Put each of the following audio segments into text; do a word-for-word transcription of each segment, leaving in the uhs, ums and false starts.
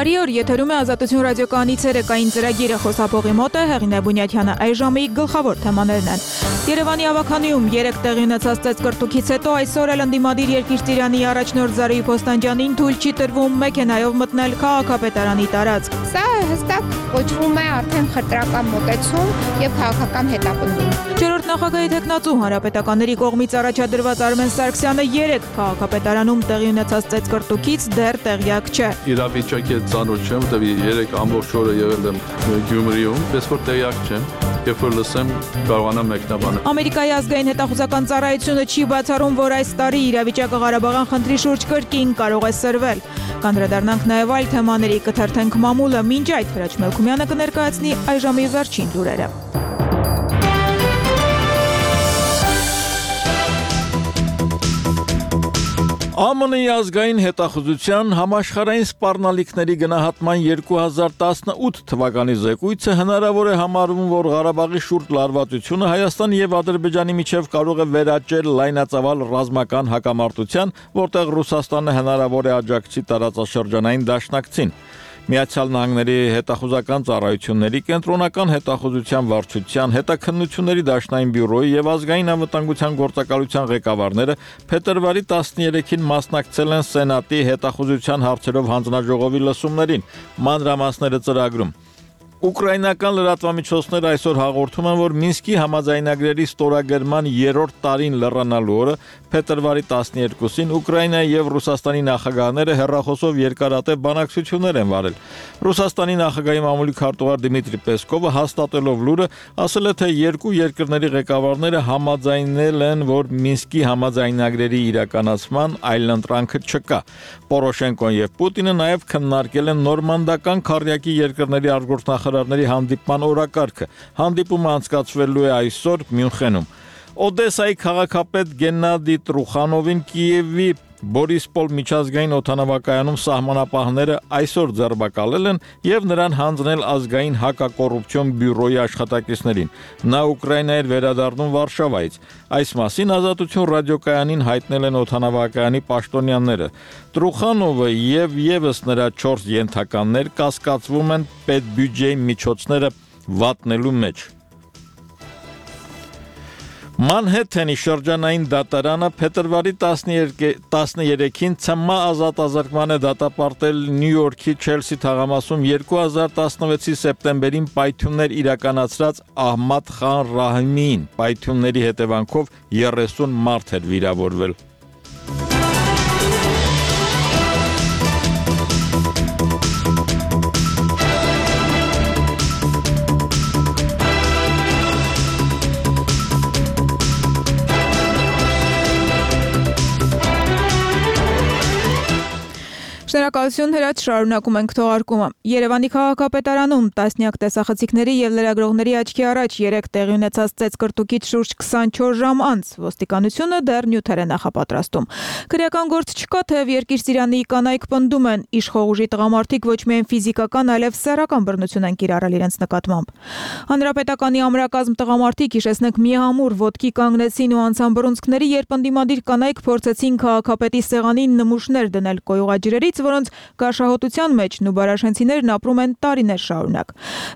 Բարի օր, եթերում է Ազատություն ռադիոկայանի ցերեկային ծրագիրը, խոսափողի մոտ է Հեղինե Բունյաթյանը, այս ժամի գլխավոր թեմաներն են։ Երևանի ավականիում երեք տեղի ունեցած ծեծկռտուքից հետո այսօր էլ ընդդիմադիր Երկիր-Ծիրանի առաջնորդ Զարուհի Փոստանջյանին թույլ չի տրվում մեքենայով մտնել քաղաքապետարանի տարածք։ Սա հստակ կոչվում է արդեն խտրական մոտեցում եւ քաղաքական հետապնդում։ Չորրորդ նախագահի թեկնածու հանրապետականների կողմից առաջադրված Արմեն Սարգսյանը երեք քաղաքապետարանում տեղի ունեցած ծեծկռտուքից դեռ տեղյակ չէ։ Իրավիճակի ծանոթ չեմ, որտեղ երեք ամբողջ օրը եղել եմ Գյումրիում, պես որ տեղյակ չեմ, երբ որ լսեմ կարողանամ մեկնաբանել։ Ամերիկայի ազգային հետախուզական ծառայությունը չի բացառում, որ այս տարի իրավիճակը Ղարաբաղյան խնդրի շուրջ կրկին կարող է սրվել։ Կանդրադառնանք նաև այլ թեմաների, կթերթենք մամուլը, մինչ այդ Հրաչ Մելքումյանը կներկայացնի այս ժամի վերջին լուրերը։ ԱՄՆ-ի ազգային հետախուզության համաշխարհային սպառնալիքների գնահատման երկու հազար տասնութ թվականի զեկույցը հնարավոր է համարվում, որ Ղարաբաղի շուրջ լարվածությունը Հայաստանի եւ Ադրբեջանի միջև կարող է վերաճել լայնածավալ ռազմական հակամարտության, որտեղ Ռուսաստանը հնարավոր է աջակցի տարածաշրջանային դաշնակցին։ Միացյալ Նահանգների հետախուզական ծառայությունների, կենտրոնական հետախուզության վարչության, հետաքննությունների դաշնային բյուրոյի եւ ազգային անվտանգության գործակալության ղեկավարները փետրվարի տասներեքին մասնակցել են Սենատի հետախուզության հարցերով հանձնաժողովի լսումներին, մանրամասները ծրագրում։ Ուկրաինական լրատվամիջոցները այսօր հաղորդում են, որ Մինսկի համաձայնագրերի ստորագրման երրորդ տարին լեռանալու օրը փետրվարի տասներկուսին Ուկրաինայի եւ Ռուսաստանի նախագահները հեռախոսով երկարատև բանակցություններ են վարել։ Ռուսաստանի նախագահի մամուլի քարտուղար Դմիտրի Պեսկովը հաստատելով լուրը ասել է, թե երկու երկրների ղեկավարները համաձայնել են, որ Մինսկի համաձայնագրերի իրականացման այլընտրանքը չկա։ Պորոշենկոն եւ Պուտինը նաեւ քննարկել են նորմանդական քառյակի երկրների արտգործնախարարների հանդիպման օրակարգը։ Հանդիպումը անցկացվելու է այսօր Մյունխենում։ Օդեսայի քաղաքապետ Գեննադի Տրուխանովին Կիևի Բորիսպոլ միջազգային օդանավակայանում սահմանապահները այսօր ձերբակալել են եւ նրան հանձնել ազգային հակակոռուպցիոն բյուրոյի աշխատակիցներին։ Նա Ուկրաինա էր վերադառնում Վարշավայից։ Այս մասին Ազատություն ռադիոկայանին հայտնել են օդանավակայանի պաշտոնյաները։ Տրուխանովը եւ եւս նրա չորս ենթականներ կասկածվում են պետբյուջեի միջոցները վատնելու մեջ։ Մանհեթենի շրջանային դատարանը փետրվարի տասներեքին ցմահ ազատազրկման է դատապարտել Նյու Յորքի Չելսի թաղամասում երկու հազար տասնվեցի սեպտեմբերին պայթյուններ իրականացրած Ահմադ Խան Ռահիմին։ Պայթյունների հետևանքով երեսուն մարդ էր վիրավորվել։ Շնորհակալություն Հրաչ, շարունակում ենք թողարկումը։ Երևանի քաղաքապետարանում տասնյակ տեսախցիկների եւ լրագրողների աչքի առաջ երեք տեղի ունեցած ծեծկռտուքից շուրջ քսանչորս ժամ անց ոստիկանությունը դեռ նյութեր է նախապատրաստում։ Քրեական գործ չկա, թեև Երկիր-Ծիրանի կանայք պնդում են, իշխող ուժի տղամարդիկ ոչ միայն ֆիզիկական, այլև սեռական բռնություն են կիրառել իրենց նկատմամբ։ Հանրապետականի ամրակազմ տղամարդիկ, հիշեցնենք, միահամուռ ոտքի կանգնեցին ու անցան բռունցքների, երբ ընդդիմադիր կանայք փորձեցին քաղաքապետի սեղանին նմուշներ դնել կոյուղաջրերից, որոնց գարշահոտության մեջ նուբարաշենցիներն ապրում են տարիներ շարունակ։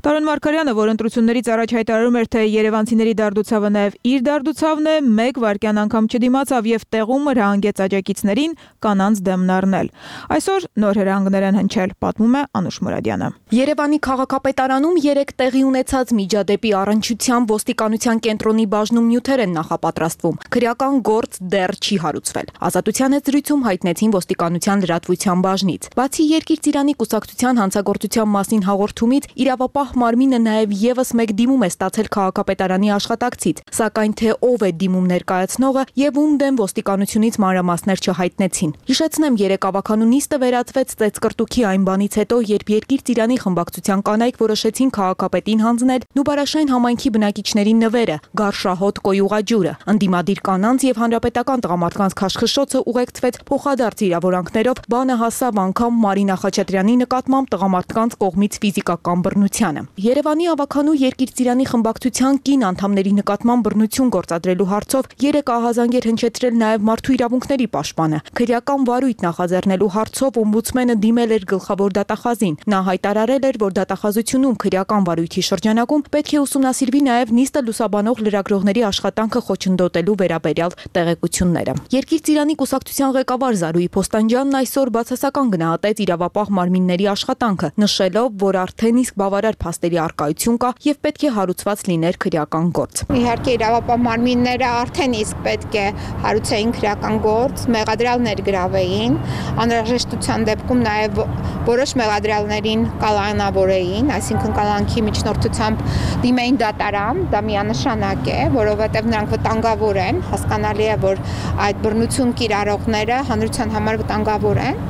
Տարոն Մարգարյանը, որ ընտրություններից առաջ հայտարարում էր, թե երևանցիների դարդուցավը նաև իր դարդուցավն է, մեկ վայրկյան անգամ չդիմացավ եւ տեղում հրահանգեց աջակիցներին կանանց դեմն առնել։ Այսօր նոր հրահանգներ են հնչել, պատմում է Անուշ Մուրադյանը։ Երևանի քաղաքապետարանում երեք տեղի ունեցած միջադեպի առնչությամբ ոստիկանության կենտրոնի բաժնում նյութեր են նախապատրաստվում։ Քրեական գործ դեռ չի հարուցվել։ Ազատության հետ զրույցում հայտնեցին ոստիկանության լրատվության բաժնից։ Բացի Երկիր-Ծիրանի կուսակցության հանցագործության մասին հաղորդումից, իրավապահ մարմինը նաև եւս մեկ դիմում է ստացել քաղաքապետարանի աշխատակցից, սակայն թե ով է դիմում ներկայացնողը եւ ում դեմ ոստիկանությունից մանրամասներ չհայտնեցին։ Հիշեցնեմ, երեք ավականու նիստը վերածվեց ծեծկռտուքի այն բանից հետո, երբ Երկիր-Ծիրանի խմբակցության կանայք որոշեցին քաղաքապետին հանձնել Նուբարաշեն համայնքի բնակիչների նվերը՝ գարշահոտ կոյուղաջուրը։ Ընդդիմադիր կանանց եւ հանրապետական տղամարդկանց քաշքշոցը ուղեկցվեց փոխադարձ իրավորանքներով, բանը հասավ վերացավ անգամ Մարինա Խաչատրյանի նկատմամբ տղամարդկանց կողմից ֆիզիկական բռնությանը։ Երևանի ավականու Երկիր Ծիրանի խմբակցության կին անդամների նկատմամբ բռնություն գործադրելու հարցով երեք ահազանգեր հնչեցրել նաև Մարդու իրավունքների պաշտպանը։ Քրեական վարույթ նախաձեռնելու հարցով օմբուդսմենը դիմել էր գլխավոր դատախազին։ Նա հայտարարել էր, որ դատախազությունում քրեական վարույթի շրջանակում պետք է ուսումնասիրվի նաև նիստը լուսաբանող լրագրողների աշխատանքը խոչընդոտելու վերաբերյալ տեղեկությունները։ Երկիր Ծիրանի կուսակցության ղեկավար Զարուհի Փոստանջյանն այսօր բացասական գնահատեց իրավապահ մարմինների աշխատանքը, նշելով, որ արդեն իսկ բավարար փաստերի առկայություն կա եւ պետք է հարուցված լիներ քրեական գործ։ Իհարկե իրավապահ մարմինները արդեն իսկ պետք է հարուցեին քրեական գործ, մեղադրյալներ գրավեին, անհրաժեշտության դեպքում նաև որոշ մեղադրյալներին կալանավորեին, այսինքն կալանքի միջնորդությամբ դիմեին դատարան, դա միանշանակ է, որովհետև նրանք վտանգավոր են, հասկանալի է, որ այդ բռնություն կիրառողները հանրության համար վտանգավոր են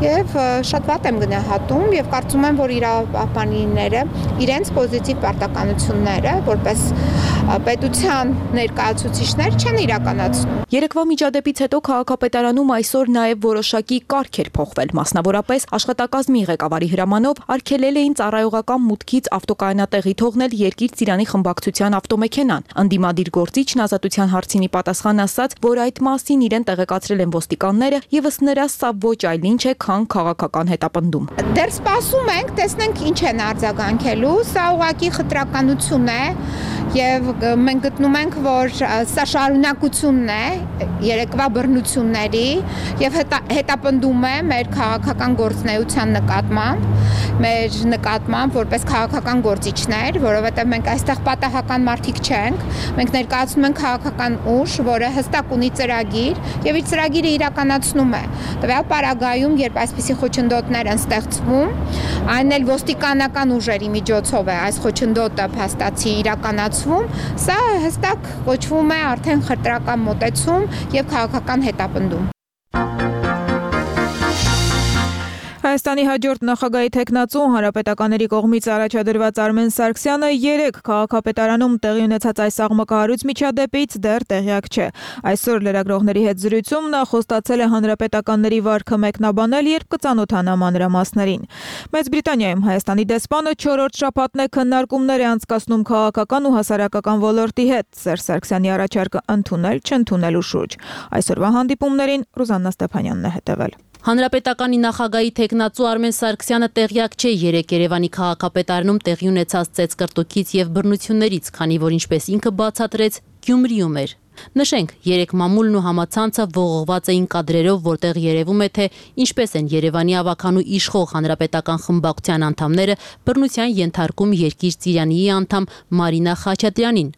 եւ շատ վատ եմ գնահատում եւ կարծում եմ, որ իրավապահները իրենց պոզիտիվ պարտականությունները որպես պետության ներկայացուցիչներ չեն իրականացնում։ Երեկվա միջադեպից հետո քաղաքապետարանում այսօր նաև որոշակի կարգ էր փոխվել, մասնավորապես աշխատակազմի ղեկավարի հրամանով արգելել էին ծառայողական մուտքից ավտոկայանատեղի թողնել Երկիր Ծիրանի խմբակցության ավտոմեքենան։ Ընդդիմադիր գործիչն ազատության հարցինի պատասխան ասաց, որ այդ մասին իրեն տեղեկացրել են ոստիկանները եւ ըստ նրա սա ոչ այլ ինչ է, քան քաղաքական հետապնդում։ Դեռ սպասում ենք, տեսնենք ինչ են արձագանքելու, սա ուղղակի խտրականություն է եւ մենք գտնում ենք, որ սա շարունակությունն է երեկվա բռնությունների եւ հետապնդում է մեր քաղաքական գործունեության նկատմամբ, մեր նկատմամբ որպես քաղաքական գործիչներ, որովհետեւ մենք այստեղ պատահական մարդիկ չենք, մենք ներկայացնում ենք քաղաքական ուժ, որը հստակ ունի ծրագիր եւ իր ծրագիրը իրականացնում է։ Տվյալ պարագայում, երբ այսպիսի խոչընդոտներ են ստեղծվում, այն էլ ոստիկանական ուժերի միջոցով է այս խոչընդոտը փաստացի իրականացվում, սա հստակ կոչվում է արդեն խտրական մոտեցում եւ քաղաքական հետապնդում։ Հայաստանի հաջորդ նախագահի թեկնածու հանրապետականների կողմից առաջադրված Արմեն Սարգսյանը երեք քաղաքապետարանում տեղի ունեցած այս աղմկահարույց միջադեպից դեռ տեղյակ չէ։ Այսօր լրագրողների հետ զրույցում նա խոստացել է հանրապետականների վարքը մեկնաբանել, երբ կծանոթանա մանրամասներին։ Մեծ Բրիտանիայում Հայաստանի դեսպանը չորրորդ շաբաթն է քննարկումներ է անցկացնում քաղաքական ու հասարակական ոլորտի հետ Սերժ Սարգսյանի առաջարկը ընդունել, չընդունելու շուրջ։ Այսօրվա հանդիպումներին Ռուզաննա Ստեփանյանն է հետևել։ Հանրապետականի նախագահի թեկնածու Արմեն Սարգսյանը տեղյակ չէ երեք Երևանի քաղաքապետարանում տեղի ունեցած ծեծկռտուքից եւ բռնություններից, քանի որ ինչպես ինքը բացատրեց, Գյումրիում էր։ Նշենք, երեք մամուլն ու համացանցը ողողված էին կադրերով, որտեղ երևում է, թե ինչպես են Երևանի ավականու իշխող հանրապետական խմբակցության անդամները բռնության ենթարկում Երկիր Ծիրանիի անդամ Մարինա Խաչատրյանին։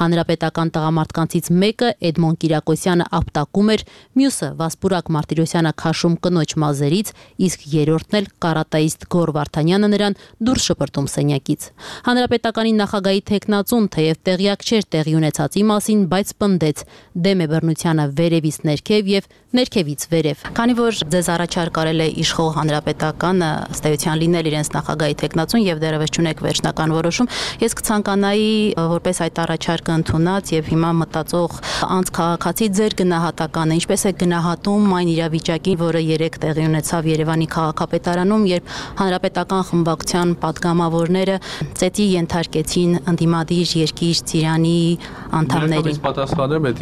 Հանրապետական տղամարդկանցից մեկը Էդմոն Կիրակոսյանը ապտակում էր, մյուսը Վասպուրակ Մարտիրոսյանը քաշում կնոջ մազերից, իսկ երրորդն էլ կարատայիստ Գոր Վարդանյանը նրան դուրս շպրտում սենյակից։ Հանրապետականի նախագահի թեկնածուն թեև տեղյակ չէր տեղի ունեցածի մասին, բայց պնդեց դեմ է բռնությանը վերևից ներքև եւ ներքևից վերև։ Քանի որ ձեզ առաջարկ արել է իշխող հանրապետականը ըստ էության լինել իրենց նախագահի թեկնածուն եւ դեռևս չունեք վերջնական որոշում, ես կցանկանայի որպես այդ առաջարկը ընդունած եւ հիմա մտածող անց քաղաքացի ձեր գնահատականը, ինչպես է գնահատում այն իրավիճակին, որը երեք տեղի ունեցավ Երևանի քաղաքապետարանում, երբ հանրապետական խմբակցության падգամավորները ծեծի ենթարկեցին ընդդիմադիր Երկիր Ծիրանի անդամներին։ Ես պատասխանեմ այդ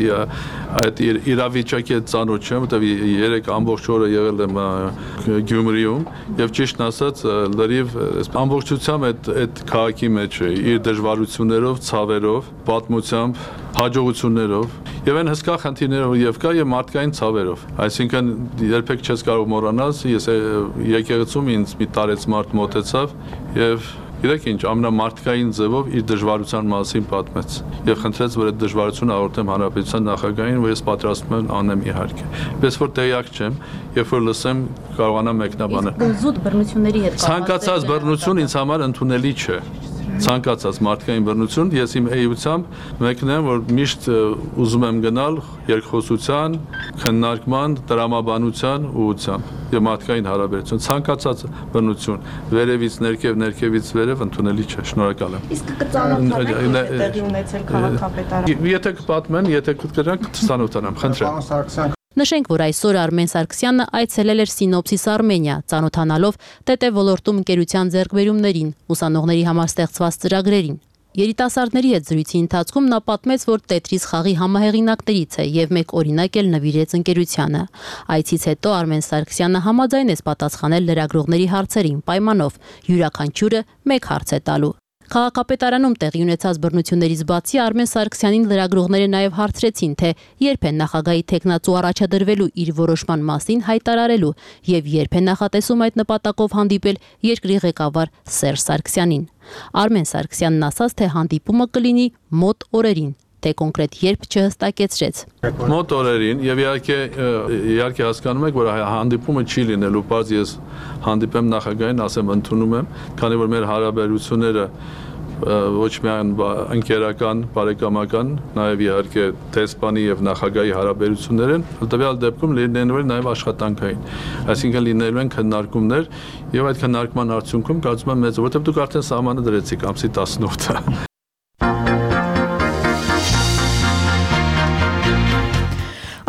այդ իրավիճակի հետ ծանոթ չեմ, որտեղ երեք ամբողջ օրը եղել եմ Գյումրիում եւ ճիշտն ասած լրիվ ամբողջությամբ այդ այդ քաղաքի մեջ է իր դժվարություններով, ցավերով, պատմությամբ, հաջողություններով եւ այն հսկա խնդիրներով եւ կա եւ մարդկային ցավերով։ Այսինքն երբեք չես կարող մոռանալ, ես եկեղեցում ինձ մի տարեց մարդ մոտեցավ եւ Գիտեք ինչ, ամենամարդկային ձևով իր դժվարության մասին պատմեց եւ խնդրեց, որ այդ դժվարությունը հաղորդեմ հանրապետության նախագահին, որ ես պատրաստ եմ անեմ իհարկե։ Պես որ տեղյակ չեմ, երբ որ լսեմ կարողանամ մեկնաբանել։ Իսկ զուտ բռնությունների հետ Ցանկացած բռնություն ինձ համար ընդունելի չէ։ Ցանկացած մարդկային բռնություն, ես իմ էությամբ մեկնեմ, որ միշտ ուզում եմ գնալ երկխոսության, քննարկման, տրամաբանության ուղղությամբ եւ մարդկային հարաբերություն։ Ցանկացած բռնություն վերևից ներքև, ներքևից վերև ընդունելի չէ։ Շնորհակալ եմ։ Իսկ կծանոթանաք տեղի ունեցել քաղաքապետարանում։ Եթե կպատմեն, եթե կգրանք, կծանոթանամ, խնդրեմ։ Նշենք, որ այսօր Արմեն Սարգսյանը այցելել էր Սինոպսիս Արմենիա, ծանոթանալով ՏՏ ոլորտում ընկերության ձեռքբերումներին, ուսանողների համար ստեղծված ծրագրերին։ Երիտասարդների հետ զրույցի ընթացքում նա պատմեց, որ Տետրիս խաղի համահեղինակներից է եւ մեկ օրինակ էլ նվիրեց ընկերությանը։ Այցից հետո Արմեն Սարգսյանը համաձայնեց պատասխանել լրագրողների հարցերին պայմանով յուրաքանչյուրը մեկ հարց է տալու։ Քաղաքապետարանում տեղի ունեցած բռնություններից բացի Արմեն Սարգսյանին լրագրողները նաև հարցրեցին, թե երբ է նախագահի թեկնածու առաջադրվելու իր որոշման մասին հայտարարելու եւ երբ է նախատեսում այդ նպատակով հանդիպել երկրի ղեկավար Սերժ Սարգսյանին։ Արմեն Սարգսյանն ասաց, թե հանդիպումը կլինի մոտ օրերին, թե կոնկրետ երբ չհստակեցրեց։ Մոտ օրերին եւ իհարկե իհարկե հասկանում եք, որ հանդիպումը չի լինելու, բայց ես հանդիպեմ նախագահին, ասեմ ընդունում եմ, քանի որ մեր հարաբերությունները ոչ միայն ընկերական, բարեկամական, նաեւ իհարկե դեսպանի եւ նախագահի հարաբերություններ են, տվյալ դեպքում լինելու են նաեւ աշխատանքային։ Այսինքն լինելու են քննարկումներ եւ այդ քննարկման արդյունքում կարծում եմ մեծ, որովհետեւ դուք արդեն սահմանը դրեցիք ամսի տասնորդը։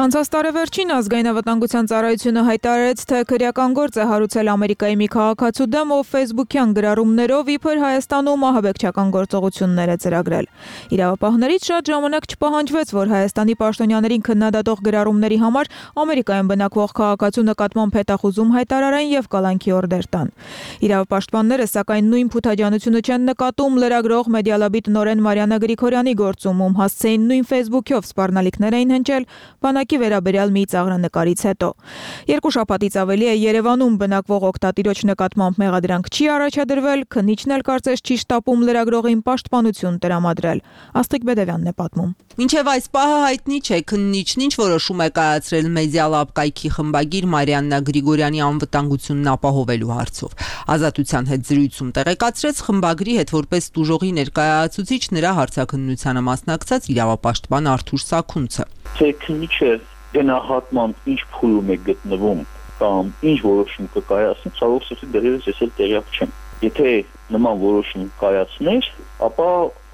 Անցած տարեվերջին ազգային անվտանգության ծառայությունը հայտարարեց, թե քրեական գործ է հարուցել Ամերիկայի մի քաղաքացու դեմ, ով ֆեյսբուքյան գրառումներով իբր Հայաստանում ահաբեկչական գործողություններ է ծրագրել։ Իրավապահներից շատ ժամանակ չպահանջվեց, որ Հայաստանի պաշտոնյաներին քննադատող գրառումների համար Ամերիկայում բնակվող քաղաքացու նկատմամբ հետախուզում հայտարարեն եւ կալանքի օրդեր տան։ Իրավապաշտպանները սակայն նույն փութաջանությունը չեն նկատում լրագրող Մեդիալաբի տնօրեն Մարիաննա Գրիգորյանի գործում, ում հասցեին նույն ֆեյսբուքով սպառնալիքներ էին հնչել բանակի վերաբերյալ մի ծաղրանկարից հետո։ Երկու շաբաթից ավելի է Երևանում բնակվող օգտատիրոջ նկատմամբ մեղադրանք չի առաջադրվել, քննիչն էլ կարծես չի շտապում լրագրողին պաշտպանություն տրամադրել։ Աստղիկ Բեդևյանն է պատմում։ Մինչև այս պահը հայտնի չէ քննիչն ինչ որոշում է կայացրել Մեդիալաբ կայքի խմբագիր Մարիաննա Գրիգորյանի անվտանգությունն ապահովելու հարցով։ Ազատության հետ զրույցում տեղեկացրեց խմբագրի հետ որպես տուժողի ներկայացուցիչ նրա հարցաքննությանը մասնակցած իրավապաշտպան Արթուր Սաքունցը։ Թե քննիչը գնահատման ինչ փուլում է գտնվում կամ ինչ որոշում կկայացնի, ցավոք սրտի դեռևս ես էլ տեղյակ չեմ։ Եթե նման որոշում կայացներ, ապա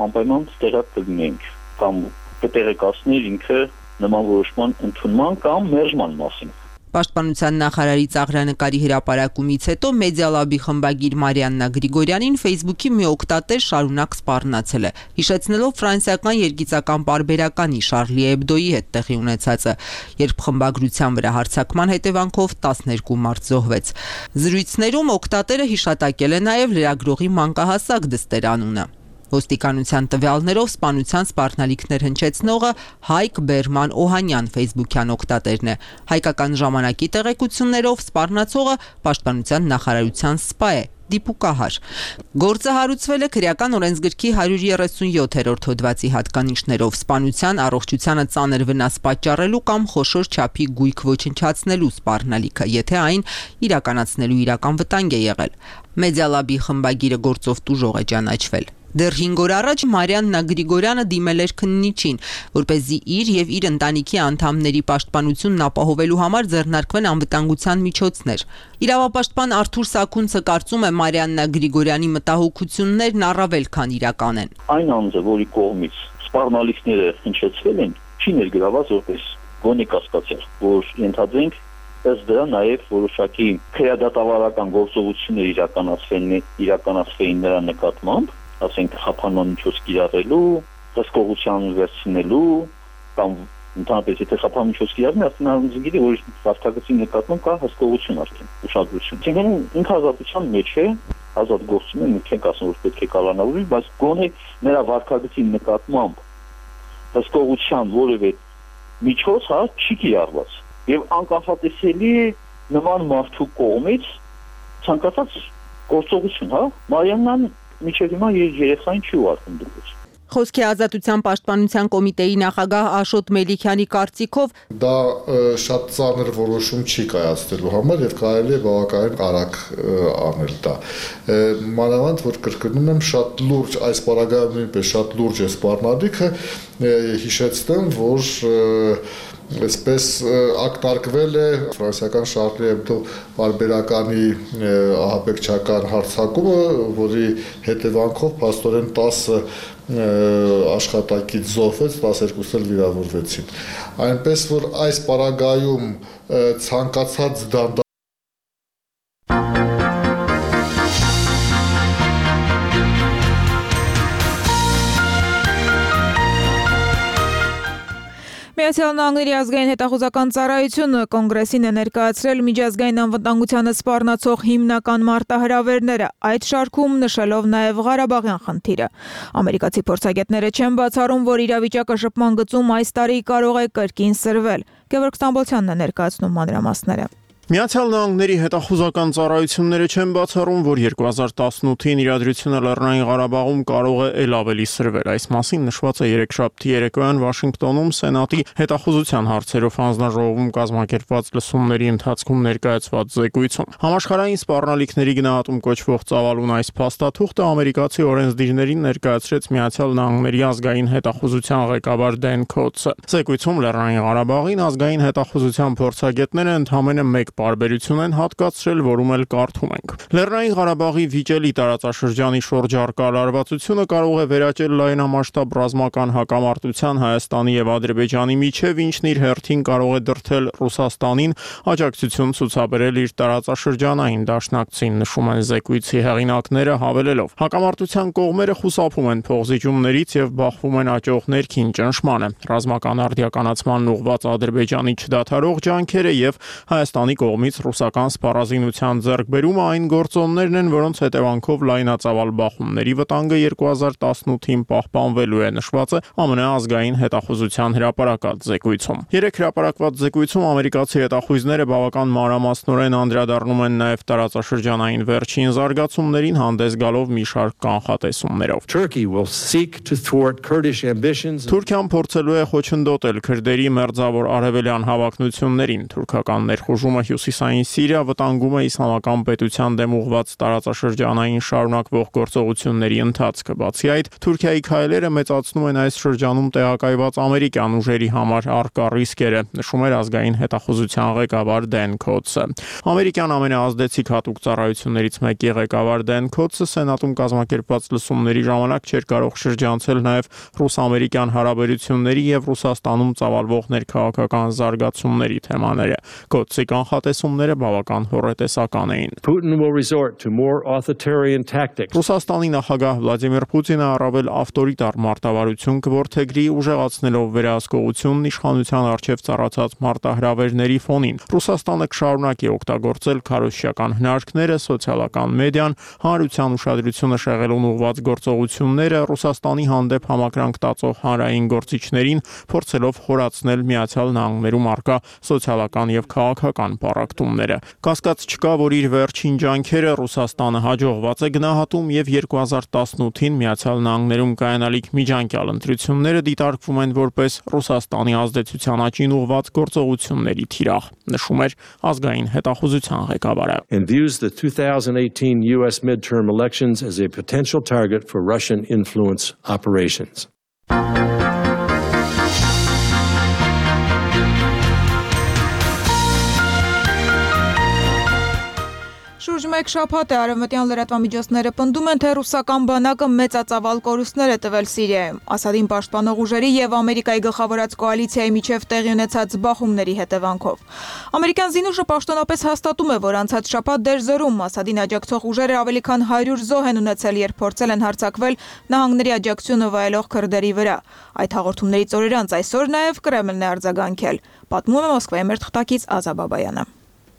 անպայման տեղյակ կլինենք կամ կտեղեկացներ ինքը նման որոշման ընդունման կամ մերժման մասին։ Պաշտպանության նախարարի ծաղրանկարի հրապարակումից հետո Մեդիալաբի խմբագիր Մարիաննա Գրիգորյանին ֆեյսբուքի մի օգտատեր շարունակ սպառնացել է, հիշեցնելով ֆրանսիական երգիծական պարբերականի Շարլի Էբդոյի հետ տեղի ունեցածը, երբ խմբագրության վրա հարձակման հետևանքով տասներկու մարդ զոհվեց։ Զրույցներում օգտատերը հիշատակել է նաև լրագրողի մանկահասակ դստեր անունը։ Ոստիկանության տվյալներով սպանության սպառնալիքներ հնչեցնողը Հայկ Բերման Օհանյան ֆեյսբուքյան օգտատերն է։ Հայկական ժամանակի տեղեկություններով սպառնացողը պաշտպանության նախարարության սպա է, դիպուկահար։ Գործը հարուցվել է քրեական օրենսգրքի հարյուր երեսունյոթերորդ հոդվածի հատկանիշներով սպանության, առողջությանը ծանր վնաս պատճառելու կամ խոշոր չափի գույք ոչնչացնելու սպառնալիքը, եթե այն իրականացնելու իրական վտանգ է եղել։ Մեդիալաբի խմբագիրը գործով տուժող է ճանաչվել։ Դեռ հինգ օր առաջ Մարիաննա Գրիգորյանը դիմել էր քննիչին, որպեսզի իր եւ իր ընտանիքի անդամների պաշտպանությունն ապահովելու համար ձեռնարկվեն անվտանգության միջոցներ։ Իրավապաշտպան Արթուր Սաքունցը կարծում է Մարիաննա Գրիգորյանի մտահոգություններն առավել քան իրական են։ Այն անձը, որի կողմից սպառնալիքները հնչեցվել են, չի ներգրաված որպես գոնե կասկածյալ, որ ենթադրենք ըստ դրա նաև որոշակի քրեադատավարական գործողություններ իրականացվեն իրականացվեին նրա նկատմամբ, ասենք խափանման միջոց կիրառելու, հսկողության վերցնելու կամ ընդհանրապես եթե խափանման միջոց կիրառվի, ասենք գիտի, որ վարքագծի նկատմամբ կա հսկողություն արդեն, ուշադրություն։ Այսինքն ինքը ազատության մեջ է, ազատ գործում է, մենք չենք ասում, որ պետք է կալանավորվի, բայց գոնե նրա վարքագծի նկատմամբ հսկողության որևէ միջոց, հա, չի կիրառված։ Եվ անկախատեսելի նման մարդու կողմից ցանկացած գործողություն, հա, Մարիաննան միջև հիմա երեխային չի ուղարկում դուրս։ Խոսքի ազատության պաշտպանության կոմիտեի նախագահ Աշոտ Մելիքյանի կարծիքով դա շատ ծանր որոշում չի կայացնելու համար եւ կարելի է բավականին արագ անել դա։ Մանավանդ որ կրկնում եմ շատ լուրջ այս պարագայում նույնպես շատ լուրջ է սպառնալիքը, հիշեցնեմ, որ այսպես ակնարկվել է ֆրանսիական Շարլի Էբդո բարբերականի ահաբեկչական հարձակումը, որի հետևանքով փաստորեն տասը աշխատակից զոհվեց, տասներկուսն էլ վիրավորվեցին։ Այնպես որ այս պարագայում ցանկացած դանդաղ Միացյալ Նահանգների ազգային հետախուզական ծառայությունը կոնգրեսին է ներկայացրել միջազգային անվտանգությանը սպառնացող հիմնական մարտահրավերները, այդ շարքում նշելով նաև Ղարաբաղյան խնդիրը։ Ամերիկացի փորձագետները չեն բացառում, որ իրավիճակը շփման գծում այս տարի կարող է կրկին սրվել։ Գևորգ Ստամբոլցյանն է ներկայացնում մանրամասները։ Միացյալ Նահանգների հետախուզական ծառայությունները չեն բացառում, որ երկու հազար տասնութին իրադրությունը Լեռնային Ղարաբաղում կարող է ել ավելի սրվել։ Այս մասին նշված է երեքշաբթի երեկոյան Վաշինգտոնում Սենատի հետախուզության հարցերով հանձնաժողովում կազմակերպված լսումների ընթացքում ներկայացված զեկույցում։ Համաշխարհային սպառնալիքների գնահատում կոչվող ծավալուն այս փաստաթուղթը ամերիկացի օրենսդիրներին ներկայացրեց Միացյալ Նահանգների ազգային հետախուզության ղեկավար Դեն Քոթսը։ Զեկույցում Լեռնային Ղարաբաղին ազգային հետախուզության փորձագետները ընդհանրապես մեկ բարբերություն են հատկացրել, որում էլ կարդում ենք։ Լեռնային Ղարաբաղի վիճելի տարածաշրջանի շուրջ առկա լարվածությունը կարող է վերաճել լայնամասշտաբ ռազմական հակամարտության Հայաստանի եւ Ադրբեջանի միջև, ինչն իր հերթին կարող է դրդել Ռուսաստանին աջակցություն ցուցաբերել իր տարածաշրջանային դաշնակցին, նշում են զեկույցի հեղինակները, հավելելով. Հակամարտության կողմերը խուսափում են փոխզիջումներից եւ բախվում են աճող ներքին ճնշմանը։ Ռազմական արդիականացման ուղղված Ադրբեջանի չդադարող ջանքերը եւ Հայաստանի կողմից ռուսական սպառազինության ձեռքբերումը այն գործոններն են, որոնց հետևանքով լայնածավալ բախումների վտանգը երկու հազար տասնութին պահպանվելու է, նշված է ԱՄՆ ազգային հետախուզության հրապարակած զեկույցում։ Երեք հրապարակված զեկույցում ամերիկացի հետախույզները բավական մանրամասնորեն անդրադառնում են նաև տարածաշրջանային վերջին զարգացումներին, հանդես գալով մի շարք կանխատեսումներով։ Թուրքիան փորձելու է խոչընդոտել քրդերի մերձավոր արևելյան հավակնություններին։ Թուրքական ներխուժումը Հյուսիսային Սիրիա վտանգում է իսլամական պետության դեմ ուղղված տարածաշրջանային շարունակվող գործողությունների ընթացքը։ Բացի այդ, Թուրքիայի քայլերը մեծացնում են այս շրջանում տեղակայված ամերիկյան ուժերի համար առկա ռիսկերը, նշում էր ազգային հետախուզության ղեկավար Դեն Քոթսը։ Ամերիկյան ամենաազդեցիկ հատուկ ծառայություններից մեկի ղեկավար Դեն Քոթսը Սենատում կազմակերպված լսումների ժամանակ չէր կարող շրջանցել նաև ռուս-ամերիկյան հարաբերությունների եւ Ռուսաստանում ծավալվող ներքաղաքական զարգացումների թեմաները։ Քոթսի կանխատեսումները բավական հոռետեսական էին։ Ռուսաստանի նախագահ Վլադիմիր Պուտինը առավել ավտորիտար մարտավարություն կորդեգրի, ուժեղացնելով վերահսկողությունն իշխանության առջև ծառացած մարտահրավերների ֆոնին։ Ռուսաստանը կշարունակի օգտագործել քարոզչական հնարքները, սոցիալական մեդիան, հանրության ուշադրությունը շեղելուն ուղղված գործողությունները, Ռուսաստանի հանդեպ համակրանք տածող հանրային գործիչներին, փորձելով խորացնել Միացյալ Նահանգներում առկա սոցիալական եւ քաղաքական պառակտումները։ Կասկած չկա, որ իր վերջին ջանքերը Ռուսաստանը հաջողված է գնահատում եւ երկու հազար տասնութին Միացյալ Նահանգներում կայանալիք միջանկյալ ընտրությունները դիտարկվում են որպես Ռուսաստանի ազդեցության աճին ուղղված գործողությունների թիրախ, նշում էր ազգային հետախուզության ղեկավարը։ And views the two thousand eighteen U S midterm elections as a potential target for Russian influence operations. Շուրջ մեկ շաբաթ է արևմտյան լրատվամիջոցները պնդում են, թե ռուսական բանակը մեծածավալ կորուստներ է տվել Սիրիայում, Ասադին պաշտպանող ուժերի եւ Ամերիկայի գլխավորած կոալիցիայի միջև տեղի ունեցած բախումների հետևանքով։ Ամերիկյան զինուժը պաշտոնապես հաստատում է, որ անցած շաբաթ դերձորում Ասադին աջակցող ուժերը ավելի քան հարյուր զոհ են ունեցել, երբ փորձել են հարձակվել նահանգների աջակցությունը վայելող քրդերի վրա։ Այդ հաղորդումներից օրեր անց այսօր նաեւ Կրեմլն է արձագանքել, պատմում է Մոսկվայի մեր թղթակից Ազա Բաբայանը։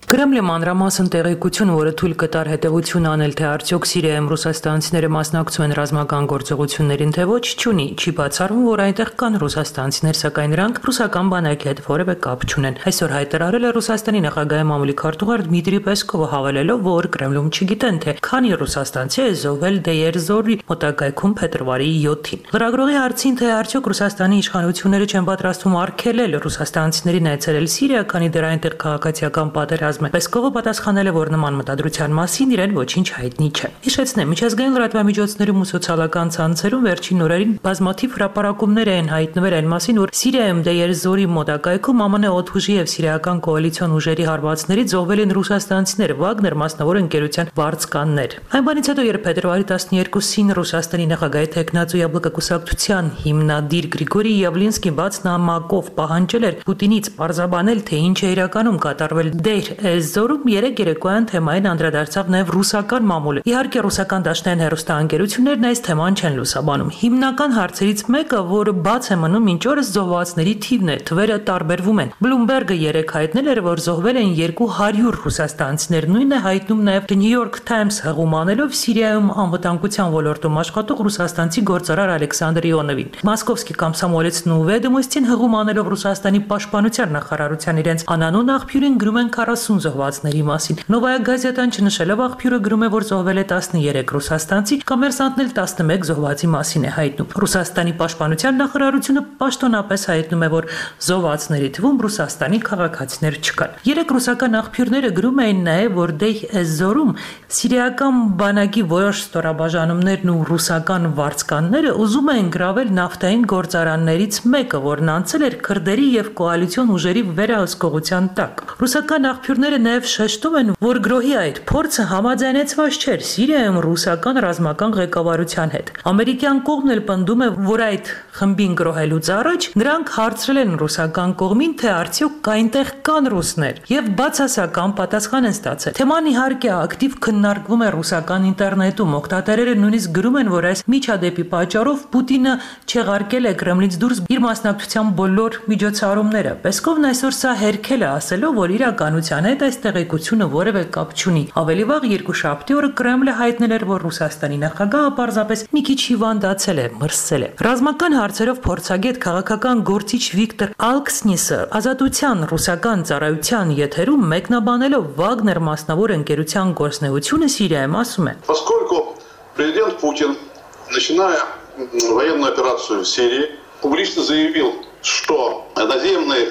Կրեմլի մանրամասն տեղեկություն, որը թույլ կտար հետևություն անել, թե արդյոք Սիրիայում ռուսաստանցիները մասնակցում են ռազմական գործողություններին, թե ոչ, չունի, չի բացառվում, որ այնտեղ կան ռուսաստանցիներ, սակայն նրանք ռուսական բանակի հետ որևէ կապ չունեն։ Այսօր հայտարարել է Ռուսաստանի նախագահի մամուլի քարտուղար Դմիտրի Պեսկովը, հավելելով, որ Կրեմլում չգիտեն, թե քանի ռուսաստանցի է զոհվել Դեյերզորի մոտակայքում փետրվարի յոթին։ Լրագրողի հարցին, թե արդյոք Ռուսաստանի իշխանությունները չեն պատրաստվում արգելել ռուսաստանցիներին այցելել Սիրիա, քանի դեռ այնտեղ քաղաքացիական պատերազմ պատերազմ է։ Պեսկովը պատասխանել է, որ նման մտադրության մասին իրեն ոչինչ հայտնի չէ։ Հիշեցնեմ, միջազգային լրատվամիջոցներում ու սոցիալական ցանցերում վերջին օրերին բազմաթիվ հրապարակումներ են հայտնվել այն մասին, որ Սիրիայում Դեյեր Զորի մոտակայքում ԱՄՆ օդուժի եւ սիրիական կոալիցիոն ուժերի հարվածներից զոհվել են ռուսաստանցիներ, Վագներ մասնավոր ընկերության վարձկաններ։ Այն բանից հետո, երբ փետրվարի տասներկուսին Ռուսաստանի նախագահի տեխնացու Յաբլոկակուսակցության հիմնադիր Գրիգորի Յավլինսկին բաց նամակով պահանջել էր Պուտինից պարզաբանել, թե ինչ է իրականում կատարվել Դեյր Զորում, երեք երեկոյան թեմային անդրադարձավ նաև ռուսական մամուլը։ Իհարկե, ռուսական դաշնային հեռուստաընկերություններն այս թեման չեն լուսաբանում։ Հիմնական հարցերից մեկը, որը բաց է մնում մինչ օրս, զոհվածների թիվն է, թվերը տարբերվում են։ Բլումբերգը երեկ հայտնել էր, որ զոհվել են երկու հարյուր ռուսաստանցիներ, նույնն է հայտնում նաև New York Times հղում անելով Սիրիայում անվտանգության ոլորտում աշխատող ռուսաստանցի գործարար Ալեքսանդր Իոնովին։ Մոսկովսկի կոմսոմոլեցն ու Վեդոմոստին հղում անելով Ռուսաստանի պաշտպանության նախարարության իրենց անանուն աղբյուրին գրում են քառասուն զոհվածների մասին։ Նովայա գազետան չնշելով աղբյուրը գրում է, որ զոհվել է տասներեք ռուսաստանցի, Կոմերսանտն էլ տասնմեկ զոհվածի մասին է հայտնում։ Ռուսաստանի պաշտպանության նախարարությունը պաշտոնապես հայտնում է, որ զոհվածների թվում Ռուսաստանի քաղաքացիներ չկան։ Երեք ռուսական աղբյուրները գրում էին նաև, որ Դեյր Զորում սիրիական բանակի որոշ ստորաբաժանումներն ու ռուսական վարձկանները ուզում էին գրավել նավթային գործարաններից մեկը, որն անցել էր քրդերի եւ կոալիցիոն ուժերի վերահսկողության տակ։ Ռուսական աղբյուրները նաև շեշտում են, որ գրոհի այդ փորձը համաձայնեցված չէր Սիրիայում ռուսական ռազմական ղեկավարության հետ։ Ամերիկյան կողմն էլ պնդում է, որ այդ խմբին գրոհելուց առաջ նրանք հարցրել են ռուսական կողմին, թե արդյոք այնտեղ կան ռուսներ, եւ բացասական պատասխան են ստացել։ Թեման իհարկե ակտիվ քննարկվում է ռուսական ինտերնետում։ Օգտատերերը նույնիսկ գրում են, որ այս միջադեպի պատճառով Պուտինը չեղարկել է Կրեմլից դուրս իր մասնակցության բոլոր միջոցառումները։ Պեսկովն այսօր սա հերքել է, ասելով, որ իրականության հետ այս տեղեկությունը որևէ կապ չունի։ Ավելի վաղ երկուշաբթի օրը Կրեմլը հայտնել էր, որ Ռուսաստանի նախագահը պարզապես մի քիչ հիվանդացել է, մրսել է։ Ռազմական հարցերով փորձագետ քաղաքական գործիչ Վիկտոր Ալքսնիսը ազատության ռուսական ծառայության եթերում մեկնաբանելով Վագներ մասնավոր ընկերության գործնեությունը Սիրիայում ասում է. Поскольку президент Путин, начиная военную операцию в Сирии, публично заявил, что наземной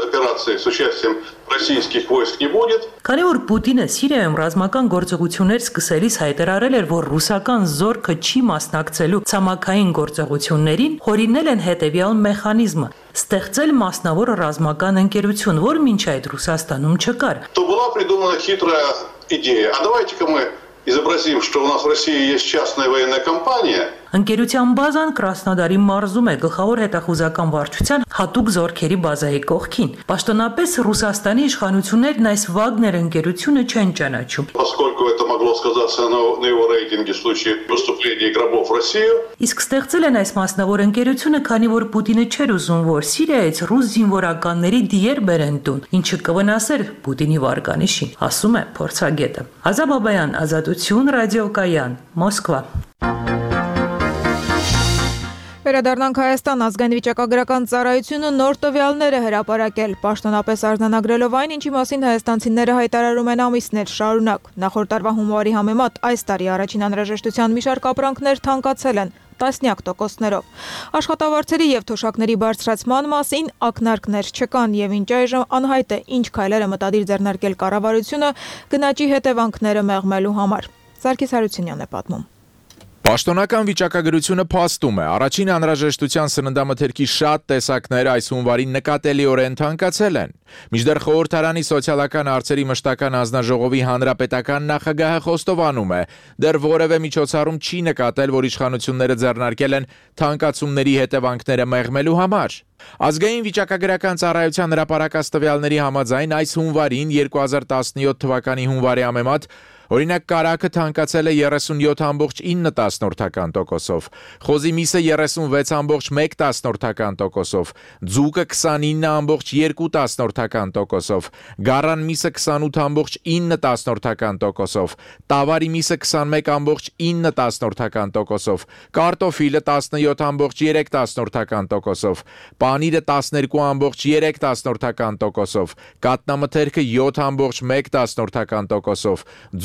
операции с участием российских войск не будет. Քանի որ Պուտինը Սիրիայում ռազմական գործողություններ սկսելիս հայտարարել էր, որ ռուսական զորքը չի մասնակցելու ցամաքային գործողություններին, հորինել են հետևյալ մեխանիզմը՝ ստեղծել մասնավոր ռազմական ընկերություն, որ մինչ այդ Ռուսաստանում չկար։ То была придумана хитрая идея. А давайте-ка мы изобразим, что у нас в России есть частная военная компания. Ընկերության բազան Կրասնոդարի մարզում է, գլխավոր հետախուզական վարչության հատուկ զորքերի բազայի կողքին։ Պաշտոնապես Ռուսաստանի իշխանություններն այս Վագներ ընկերությունը չեն ճանաչում։ Поскольку это могло сказаться на, на его рейтинге в случае поступления гробов в Россию. Իսկ ստեղծել են այս մասնավոր ընկերությունը, քանի որ Պուտինը չէր ուզում, որ Սիրիայից ռուս զինվորականների դիեր բերեն տուն, ինչը կվնասեր Պուտինի վարկանիշին, ասում է փորձագետը։ Ազատ Բաբայան, Ազատություն, ռադիոկայան, Մոսկվա։ Վերադառնանք Հայաստան, ազգային վիճակագրական ծառայությունը նոր տվյալներ է հրապարակել, պաշտոնապես արձանագրելով այն, ինչի մասին հայաստանցիները հայտարարում են ամիսներ շարունակ։ Նախորդ տարվա հունվարի համեմատ այս տարի առաջին անհրաժեշտության մի շարք ապրանքներ թանկացել են տասնյակ տոկոսներով։ Աշխատավարձերի եւ թոշակների բարձրացման մասին ակնարկներ չկան եւ ինչ այժմ անհայտ է, ինչ քայլեր է մտադիր ձեռնարկել կառավարությունը գնաճի հետևանքները մեղմելու համար։ Սարգիս Հարությունյանն է պատմում։ Պաշտոնական վիճակագրությունը փաստում է, առաջին անհրաժեշտության սննդամթերքի շատ տեսակներ այս հունվարին նկատելիորեն թանկացել են։ Մինչդեռ խորհրդարանի սոցիալական հարցերի մշտական հանձնաժողովի հանրապետական նախագահը խոստովանում է, դեռ որևէ միջոցառում չի նկատել, որ իշխանությունները ձեռնարկել են թանկացումների հետևանքները մեղմելու համար։ Ազգային վիճակագրական ծառայության հրապարակած տվյալների համաձայն այս հունվարին երկու հազար տասնյոթ թվականի հունվարի համեմատ օրինակ կարագը թանկացել է երեսունյոթ բացառիկ ինը տոկոսով, խոզի միսը երեսունվեց բացառիկ մեկ տոկոսով, ձուկը քսանինը բացառիկ երկու տոկոսով, գառան միսը քսանութ բացառիկ ինը տոկոսով, տավարի միսը քսանմեկ բացառիկ ինը տոկոսով, կարտոֆիլը տասնյոթ բացառիկ երեք տոկոսով, պանիրը տասներկու բացառիկ երեք տոկոսով, կատնամթերքը յոթ բացառիկ մեկ տոկոսով,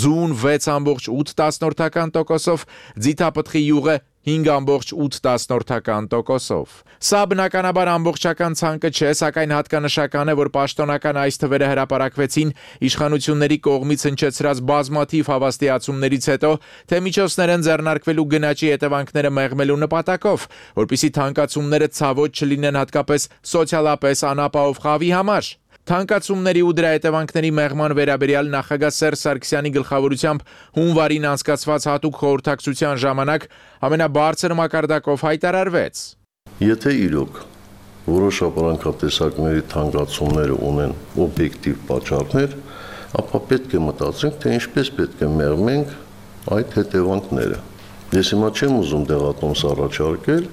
ձուն վեց բացառիկ ութ տոկոսով, ձիթապտղի յուղը հինգ տոկոսով։ տոկոսով։ Սա բնականաբար ամբողջական ցանկը չէ, սակայն հատկանշական է, որ պաշտոնական այս թվերը հրապարակվեցին իշխանությունների կողմից հնչեցրած բազմաթիվ հավաստիացումներից հետո, թե միջոցներ են ձեռնարկվելու գնաճի հետևանքները մեղմելու նպատակով, որպեսզի թանկացումները ցավոտ չլինեն հատկապես սոցիալապես անապահով խավի համար։ Թանկացումների ու դրա հետևանքների մեղման վերաբերյալ նախագահ Սերժ Սարգսյանի գլխավորությամբ հունվարին անցկացված հատուկ խորհրդակցության ժամանակ ամենաբարձր մակարդակով հայտարարվեց. Եթե իրոք որոշ ապրանքատեսակների թանկացումները ունեն օբյեկտիվ պատճառներ, ապա պետք է մտածենք, թե ինչպես պետք է մեղմենք այդ հետևանքները։ Ես հիմա չեմ ուզում դեղատոմս առաջարկել,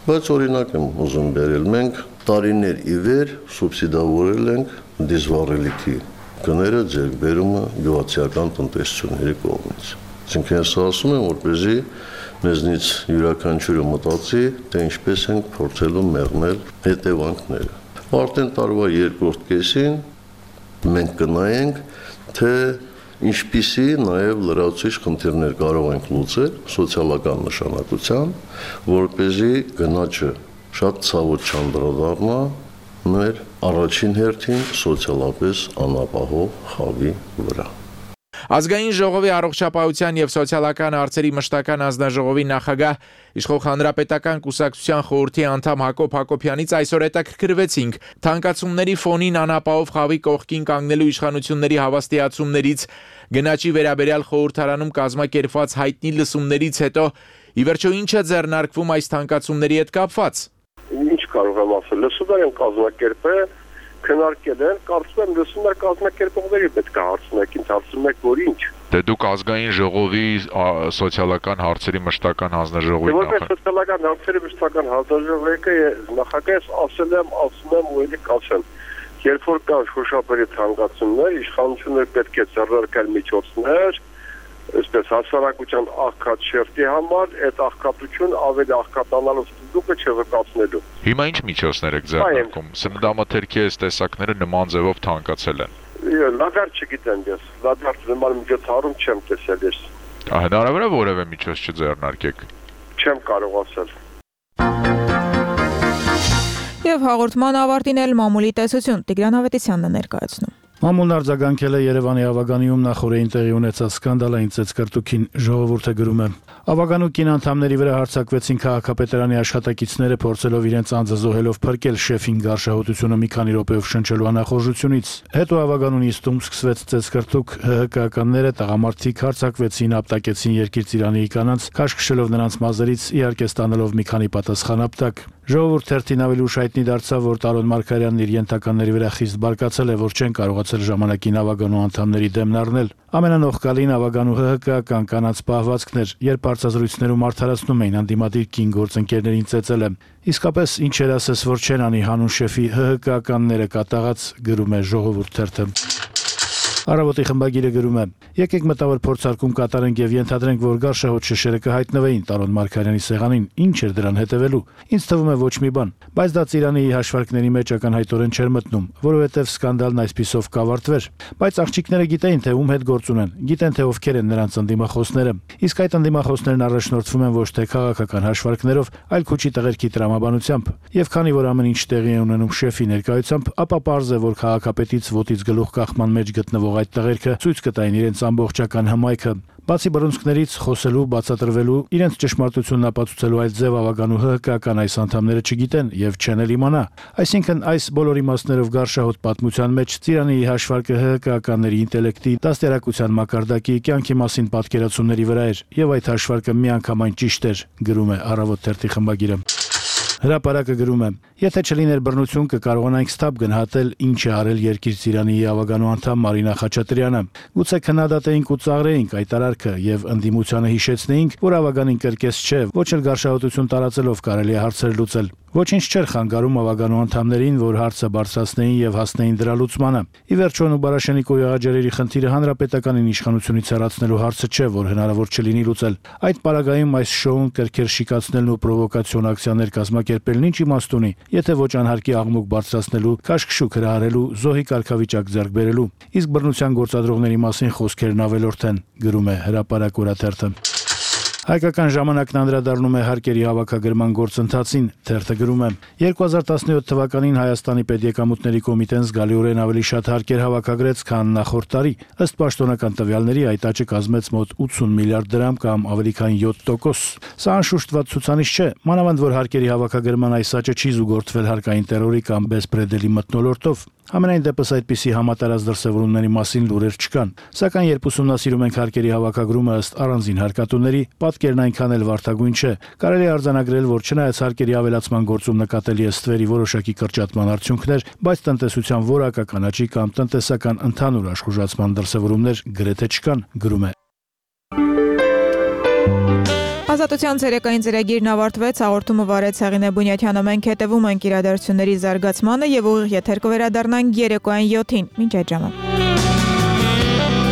բայց օրինակ եմ ուզում բերել, մենք տարիներ ի վեր սուբսիդավորել ենք դիզվառելիքի գները ձեռքբերումը գյուղացիական տնտեսությունների կողմից։ Այսինքն ես ասում եմ, որպեսզի մեզնից յուրաքանչյուրը մտածի, թե ինչպես ենք փորձելու մեղմել հետևանքները։ Արդեն տարվա երկրորդ կեսին մենք կնայենք, թե ինչպիսի նաև լրացուցիչ խնդիրներ կարող ենք լուծել սոցիալական նշանակության, որպեսզի գնաճը շատ ցավոտ չանդրադառնա մեր առաջին հերթին սոցիալապես անապահով խավի վրա։ Ազգային ժողովի առողջապահության եւ սոցիալական հարցերի մշտական հանձնաժողովի նախագահ Իշխող հանրապետական կուսակցության խորհրդի անդամ Հակոբ Հակոբյանից այսօր հետաքրքրվեցինք թանկացումների ֆոնին անապահով խավի կողքին կանգնելու իշխանությունների հավաստիացումներից, գնաճի վերաբերյալ խորհրդարանում կազմակերպված հայտնի լսումներից հետո ի վերջո ինչ է ձեռնարկվում այս թանկացումների հետ կապված։ Ինչ կարող եմ ասել, լսումներ են կազմակերպել, քննարկել են, կարծում եմ լսումներ կազմակերպողների պետք է հարցնեք, ինձ հարցնում եք, որ ինչ։ Դե դուք ազգային ժողովի սոցիալական հարցերի մշտական հանձնաժողովի նախագահ։ Որպես սոցիալական հարցերի մշտական հանձնաժողովի նախագահ ասել եմ, ասում եմ ու ելի կասեմ, երբ որ կան շոշափելի թանկացումներ, իշխանությունները պետք է ձեռնարկել միջոցներ, այսպես հասարակության աղքատ շերտի համար, այդ աղքատություն ավելի աղքատանալու ստուգը չվկացնելու։ Հիմա ինչ միջոցներ եք ձեռնարկում։ Սննդամթերքի այս տեսակները նման ձևով թանկացել են։ Լադար չգիտեմ ես, լադար նման միջոցառում չեմ տեսել ես։ Հնարավոր է որևէ միջոց չձեռնարկեք։ Չեմ կարող ասել։ Եվ հաղորդման ավարտին էլ մամուլի տեսություն Տիգրան Ավետիսյանն է ներկայացնում։ Մամուլն արձագանքել է Երևանի ավագանիում նախորդին տեղի ունեցած սկանդալային ծեծկռտուքին, ժողովուրդը գրում է. Ավագանու կին անդամների վրա հարձակվեցին քաղաքապետարանի աշխատակիցները, փորձելով իրենց անձը զոհելով փրկել շեֆին գարշահոտությունը մի քանի րոպեով շնչելու անախորժությունից։ Հետո ավագանու նիստում սկսվեց ծեծկռտուք, ՀՀԿ-ականները տղամարդիկ հարձակվեցին, ապտակեցին երկիր ծիրանիի կանանց, քաշքշելով նրանց մազերից, իհարկե ստանալով մի քանի պատասխան ապտակ։ Ժողովուրդ թերթին ավելի ուշ հայտնի դարձավ, որ Տարոն Մարգարյանն իր ենթականների վրա խիստ բարկացել է, որ չեն կարողացել ժամանակին ավագանու անդամների դեմն առնել։ Ամենանողկալին ավագանու ՀՀԿ-ական կանանց պահվածքն էր, երբ հարցազրույցներում արդարացնում էին անդիմադիր կին գործընկերներին ծեծել է։ Իսկապես ինչ էր ասես, որ չեն անի հանուն շեֆի ՀՀԿ-ականները կատաղած, գրում է Ժողովուրդ թերթը։ Առավոտի խմբագիրը գրում է. Եկեք մտավոր փորձարկում կատարենք եւ ենթադրենք, որ գարշահոտ շշերը կհայտնվեին Տարոն Մարգարյանի սեղանին, ինչ էր դրան հետևելու։ Ինձ թվում է ոչ մի բան, բայց դա Ծիրանի հաշվարկների մեջ ակնհայտորեն չէր մտնում, որովհետեւ սկանդալն այսպիսով կավարտվեր։ Բայց աղջիկները գիտեին, թե ում հետ գործ ունեն, գիտեն, թե ովքեր են նրանց ընդդիմախոսները։ Իսկ այդ ընդդիմախոսներն առաջնորդվում են ոչ թե քաղաքական հաշվարկներով, այլ քուչի տղերքի տրամաբանությամբ։ Եվ քանի որ ամեն ինչ տեղի է ունենում շեֆի ներկայությամբ, ապա պարզ է, որ քաղաքապետից ոտից գլուխ կախման մեջ գտնվող այդ տղերքը ցույց կտային իրենց ամբողջական հմայքը։ Բացի բռունցքներից խոսելու, բացատրվելու, իրենց ճշմարտությունն ապացուցելու այլ ձև ավագանու ՀՀԿ-ական այս անդամները չգիտեն եւ չեն էլ իմանա։ Այսինքն այս բոլոր իմաստներով գարշահոտ պատմության մեջ Ծիրանի հաշվարկը ՀՀԿ-ականների ինտելեկտի, դաստիարակության մակարդակի, կյանքի մասին պատկերացումների վրա էր եւ այդ հաշվարկը միանգամայն ճիշտ էր, գրում է Առավոտ թերթի խմբագիրը։ Հրապարակը գրում է. Եթե չլիներ բռնություն, կկարողանանք ստապ գնահատել ինչ է արել Երկիր Ծիրանի ավագանու անդամ Մարինա Խաչատրյանը։ Գուցե քննադատեինք ու ծաղրեինք այդ արարքը եւ ընդդիմությանը հիշեցնեինք, որ ավագանին կրկես չէ, ոչ էլ գարշահոտություն տարածելով կարելի է հարցեր լուծել։ Ոչինչ չէր խանգարում ավագանու անդամներին, որ հարցը բարձրացնեին եւ հասնեին դրա լուծմանը։ Ի վերջո Նուբարաշենիկո եղաջերերի խնդիրը հանրապետականին իշխանությունից հեռացնելու հարցը չէ, որ հնարավոր չլինի լուծել։ Այդ պարագայում այս շոուն կրկեր շիկացնելն ու պրովոկացիոն ակցիաներ կազմակերպելն ինչ իմաստ ունի, եթե ոչ անհարկի աղմուկ բարձրացնելու, քաշքշուկ հրահարելու, զոհի կարգավիճակ ձեռք բերելու։ Իսկ բռնության գործադրողների մասին խոսքերն ավելորդ են, գրում է Հրապարակ օրաթերթը։ Հայկական ժամանակն անդրադառնում է հարկերի հավաքագրման գործընթացին, թերթը գրում է. երկու հազար տասնյոթ թվականին Հայաստանի պետեկամուտների կոմիտեն զգալիորեն ավելի շատ հարկեր հավաքագրեց, քան նախորդ տարի։ Ըստ պաշտոնական տվյալների այդ աճը կազմեց մոտ ութսուն միլիարդ դրամ կամ ավելի քան յոթ տոկոս։ Սա անշուշտ վատ ցուցանիշ չէ, մանավանդ որ հարկերի հավաքագրման այս աճը չի զուգորդվել հարկային տերորի կամ բեսպրեդելի մթնոլորտով։ Համենայն դեպս այդպիսի համատարած դրսևորումների մասին լուրեր չկան, սակայն երբ ուսումնասիրում ենք հարկերի հավաքագրումը ըստ առանձին հարկատուների, պատկերն այնքան էլ վարդագույն չէ։ Կարելի է արձանագրել, որ չնայած հարկերի ավելացման գործում նկատելի է ստվերի որոշակի կրճատման արդյունքներ, բայց տնտեսության որակական աճի կամ տնտեսական ընդհանուր աշխուժացման դրսևորումներ գրեթե չկան, գրում է։ Ազատության ցերեկային ծրագիրն ավարտվեց, հաղորդումը վարեց Հեղինե Բունյաթյանը, մենք հետևում ենք իրադարձությունների զարգացմանը եւ ուղիղ եթեր կվերադառնանք երեկոյան յոթին։ Մինչ այդ ժամը։